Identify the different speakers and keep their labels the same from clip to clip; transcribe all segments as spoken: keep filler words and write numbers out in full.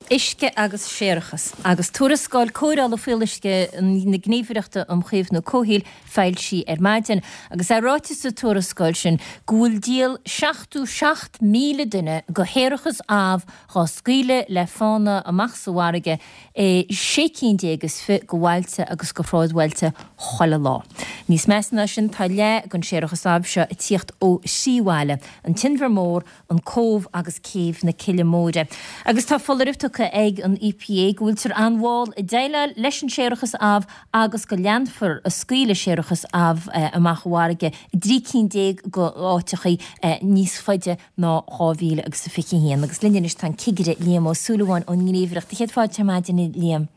Speaker 1: Uisce agus séarachas. Agus tuarascáil cóireála fuíolluisce na Gníomhaireachta um Chaomhnú Comhshaoil foilsithe ar maidin. Agus é ráite sa tuarascáil sin go bhfuil díol seachtó seacht míle duine de shéarachas amh dhá scaoileadh le fána amach sa bhfarraige i sé cinn déag is fiche de bhailte agus de shráidbhailte chuile lá. Níos measa ná sin tá leath den séarachas amh seo ag tíocht ó thrí bhaile, an tInbhear Mór, an Cóbh agus Céibh na Cille Móire. Agus tá foláireamh tugtha ag an EPA go bhfuiltear an-mhall ag déileáil leis an séarachas amh agus go leanfar ag scaoileadh séarachas amh amach i bhfarraige i dtrí cinn déag de áiteachaí níos faide ná dhá mhíle agus a fiche haon. Agus linn anois tá an Cigire Liam Ó Súilleabháin ón nGníomhaireacht. Céad fáilte ar maidin, a Liam.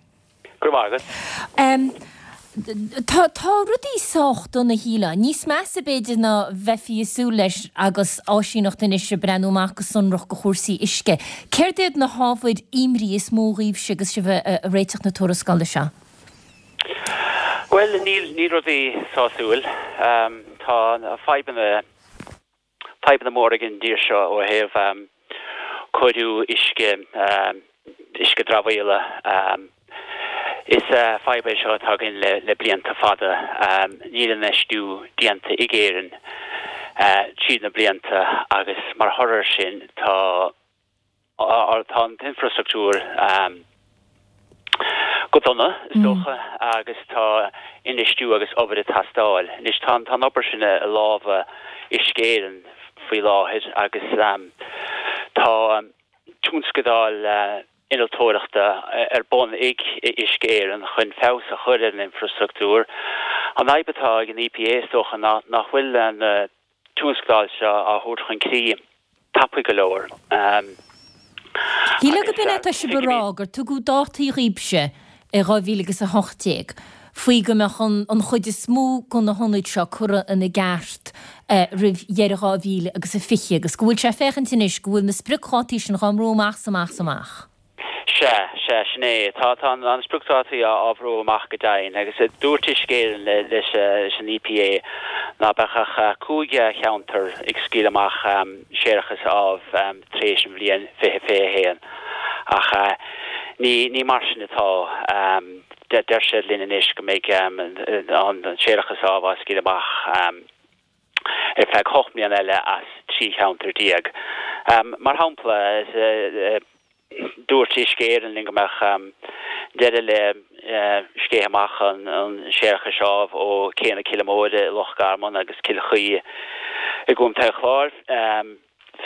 Speaker 2: Go raibh maith agat.
Speaker 1: Tá tá rudaí sách dona shílfeá. Níos measa b'fhéidir ná bheifí ag súil leis agus áisíneacht anois ag breathnú amach go sonrach go chúrsaí uisce. Céard iad na hábhair imní is mó dhaoibhse agus sibh ag réiteach na tuarascála seo?
Speaker 2: Bhuel, níl níl rudaí sásúil. Tá fadhbanna fadhbanna móra ag an dtír seo ó thaobh cóiriú uisce, uisce dramhaíola. Is fadhb é seo atá againn le blianta fada. Níl infheistiú déanta ag Éirinn tríd na blianta agus mar thoradh air sin tá tá an t-infreastruchtúr go dona, is dócha, agus tá infheistiú agus obair ag teastáil. Anois tá an obair sin i lámha Uisce Éireann faoi láthair agus tá tionscadail innealtóireachta ar bun ag Uisce Éireann chun feabhas a chur ar an infreastruchtúr. An fhadhb atá ag an EPA is dócha ná nach bhfuil na tionscadail seo á thabhairt chun críche tapaidh go leor.
Speaker 1: Shílfeá gurb in é atá sibh a rá, gur tugadh dátaí dhaoibhse i dhá mhíle agus a hocht déag faoi go mbeadh an chuid is mó de na hionaid seo curtha ina gceart roimh dheireadh dhá mhíle agus a fiche agus go bhfuil sé ag féachaint anois go bhfuil na spriocdhátaí sin dhá mbrú amach 's amach 's amach.
Speaker 2: Sea, sea, sin é. Tá, tá an spriocdhátaí á bhrú amach go deimhin agus dúirt Uisce Éireann leis an EPA ná beadh ach cúig cheantar ag scaoileadh amach séarachas amh tar éis an bhliain fiche fiche a haon ach ní, ní mar sin atá. Deir siad linn anois go mbeidh an séarachas amh á scaoileadh amach ar feadh ocht mbliana eile as trí cheantar déag. Mar shampla, dúirt Uisce Éireann linn go mbeadh deireadh le sceitheadh amach an séarachais amh ó Cé na Cille Móire i Loch Garman agus Cill Chaoi i gContae an Chláir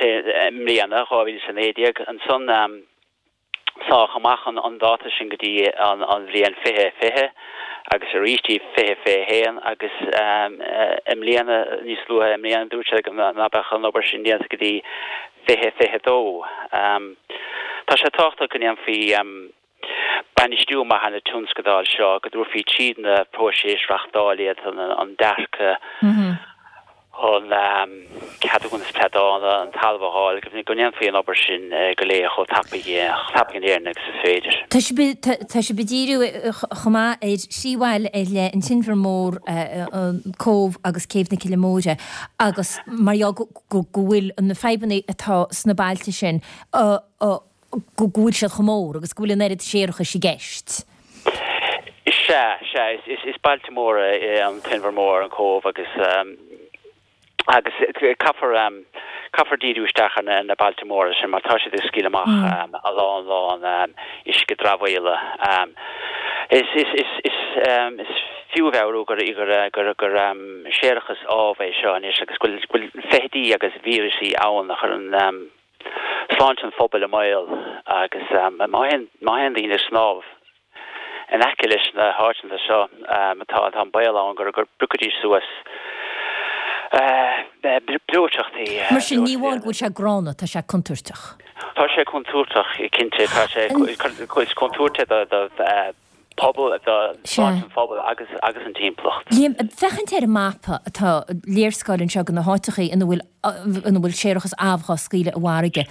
Speaker 2: i mbliana, dhá mhíle is a naoi déag. Ansan sáthadh amach an dáta sin go dtí an bhliain fiche fiche agus arís dtí fiche fiche a haon agus i mbliana, níos luaithe i mbliana, dúirt sé ná beadh an obair sin déanta go dtí fiche fiche a dó. Tá sé tábhachtach go ndéanfaí bainistiú maith ar na tionscadail seo, go dtabharfaí tríd na próisis reachtáil iad, an dearcadh, an ceadúnas pleanála, an talamh a fháil, go ndéanfaí an obair sin go léir chomh tapaidh in Éirinn agus is féidir.
Speaker 1: Tá sibh ag díriú chomh maith ar thrí bhaile ar leith, an tInbhear Mór, an Cóbh agus Céibh na Cille Móire agus mar gheall go bhfuil na fadhbanna atá sna bailte sin, go bhfuil siad chomh mór agus go bhfuil an oiread séarachais i gceist.
Speaker 2: Sea, sea, is bailte móra é an tInbhear Mór, an Cóbh agus agus caithfear caithfear díriú isteach ar na bailte móra sin mar tá siad ag scaoileadh amach a lán lán uisce dramhaíola. Is is is is is fiú a mheabhrú gur gur gur gur séarachas amh é seo anois agus go bhfuil go bhfuil feithidí agus víreasaí ann a chuireann sláinte an phobail i mbaol agus má théann má théann daoine ag snámh in aice leis na háiteanna seo tá tá an baol ann gur gur bpiocfaidís suas breoiteachtaí.
Speaker 1: Mar sin ní amháin go bhfuil sé gránna, tá sé contúirteach.
Speaker 2: Tá sé contúirteach, cinnte, tá sé is contúirt é do do pobal, do sláinte an phobail agus agus an timpeallacht.
Speaker 1: Liam, ag féachaint ar an mapa atá léarscáil anseo de na háiteachaí ina bhfuil ina bhfuil séarachas amh á scaoileadh i bhfarraige.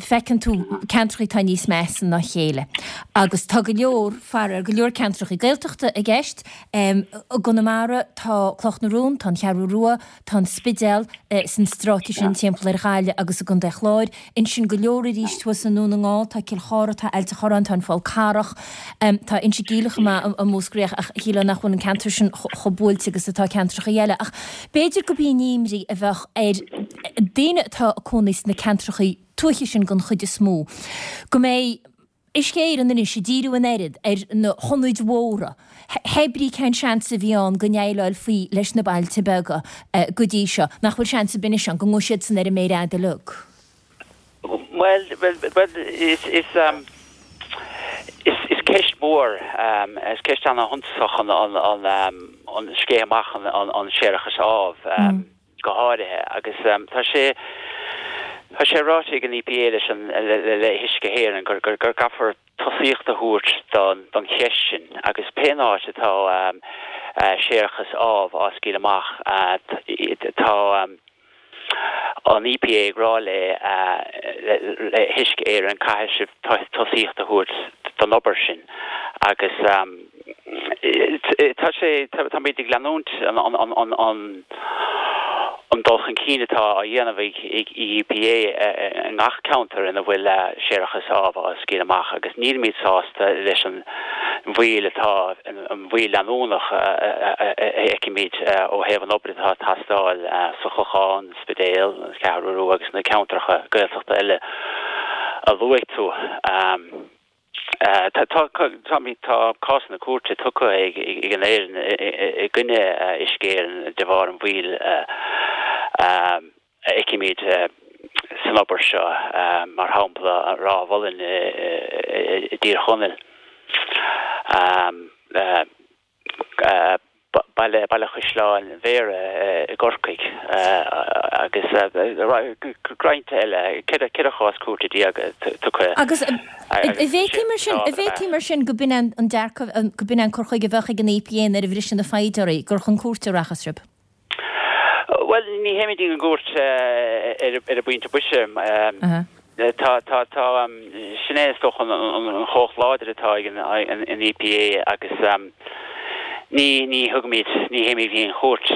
Speaker 1: Feiceann tú ceantrachaí atá níos measa ná a chéile. Agus tá go leor, faraor, go leor ceantrachaí Gaeltachta i gceist. I gConamara tá Cloch na Rón, tá an Cheathrú Rua, tá an Spidéal san stráice sin timpeall ar Ghaillimh agus i gContae Chláir. Ansin go leor arís thuas i nDún na nGall, tá Cill Chartha, tá Ailt an Chorráin, tá an Fál Carrach, tá Inse Geimhleach chomh maith i Múscraí ach shílfeá nach bhfuil an ceantar sin chomh buailte agus atá ceantracha eile. Ach b'fhéidir gurb í an imní a bheadh ar daoine atá ag cónaí sna ceantracha tuaithe sin den chuid is mó, go mbeidh Uisce Éireann anois ag díriú an oiread ar na hionaid mhóra, hé brí cén seans a bhí ann go ndéileálfaí leis na bailte beaga go dtí seo, nach bhfuil seans ar bith anois ann go ngabhfaidh siadsan ar an méar fhada uilig.
Speaker 2: Bhuel, bhuel, is, is, is, is ceist mhór, is ceist ana-shuntasach an, an, an scéith amach an, an séarachas amh, go háirithe agus tá sé, tá sé ráite ag an EPA leis an, le hUisce Éireann gur, gur, gur gcaithfear tosaíocht a thabhairt don, don cheist sin agus pé áit atá séarachas amh á scaoileadh amach tá an EPA ag rá le le hUisce Éireann caithfidh sibh tosaíocht a thabhairt don obair sin agus tá sé táimid ag leanúint an an an an an dul chun cinn atá á dhéanamh ag EPA i ngach ceantar ina bhfuil séarachas amh á scaoileadh amach agus nílimid sásta leis an mhoill atá an mhoill leanúnach a fheicimid ó thaobh an obair atá ag teastáil sa Chlochán, Spidéal, an Cheathrú Rua agus na ceantracha Gaeltachta eile a luaigh tú. Tá tá cásanna cúirte tugtha ag an fhoireann i gcoinne Uisce Éireann de bharr an mhoill a fheicimid san obair seo, mar shampla Ráth Mhulláin i dTír Chonaill. Baile Baile Chaisleáin Bhéarra i gCorcaigh agus roinnt eile, ceithre chás cúirte déag tugtha.
Speaker 1: Agus an bhféadfaí mar sin, an bhféadfaí mar sin go b'in an dearcadh, go b'in an cur chuige a bheadh ag an EPA nuair a bhriseann na foighid oraibh, gur chun cúirte a rachas sibh?
Speaker 2: Bhuel, ní théimid chuig an gcúirt ar an bpointe boise. Tá, tá, tá, sin é is dócha an chumhacht láidir atá ag an EPA agus ní, ní thugaimid, ní théimid chuig an chúirt.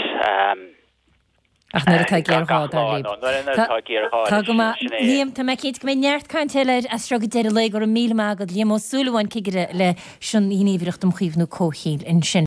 Speaker 1: Ach nuair atá géarghá, dar libh.
Speaker 2: Nuair atá géarghá,
Speaker 1: Tá go maith. Liam, tá mé cinnte go mbeidh neart cainte eile air as seo go deireadh lae. Go raibh míle maith agat. Liam Ó Súilleabháin, Cigire leis an Ghníomhaireacht um Chaomhnú Comhshaoil ansin.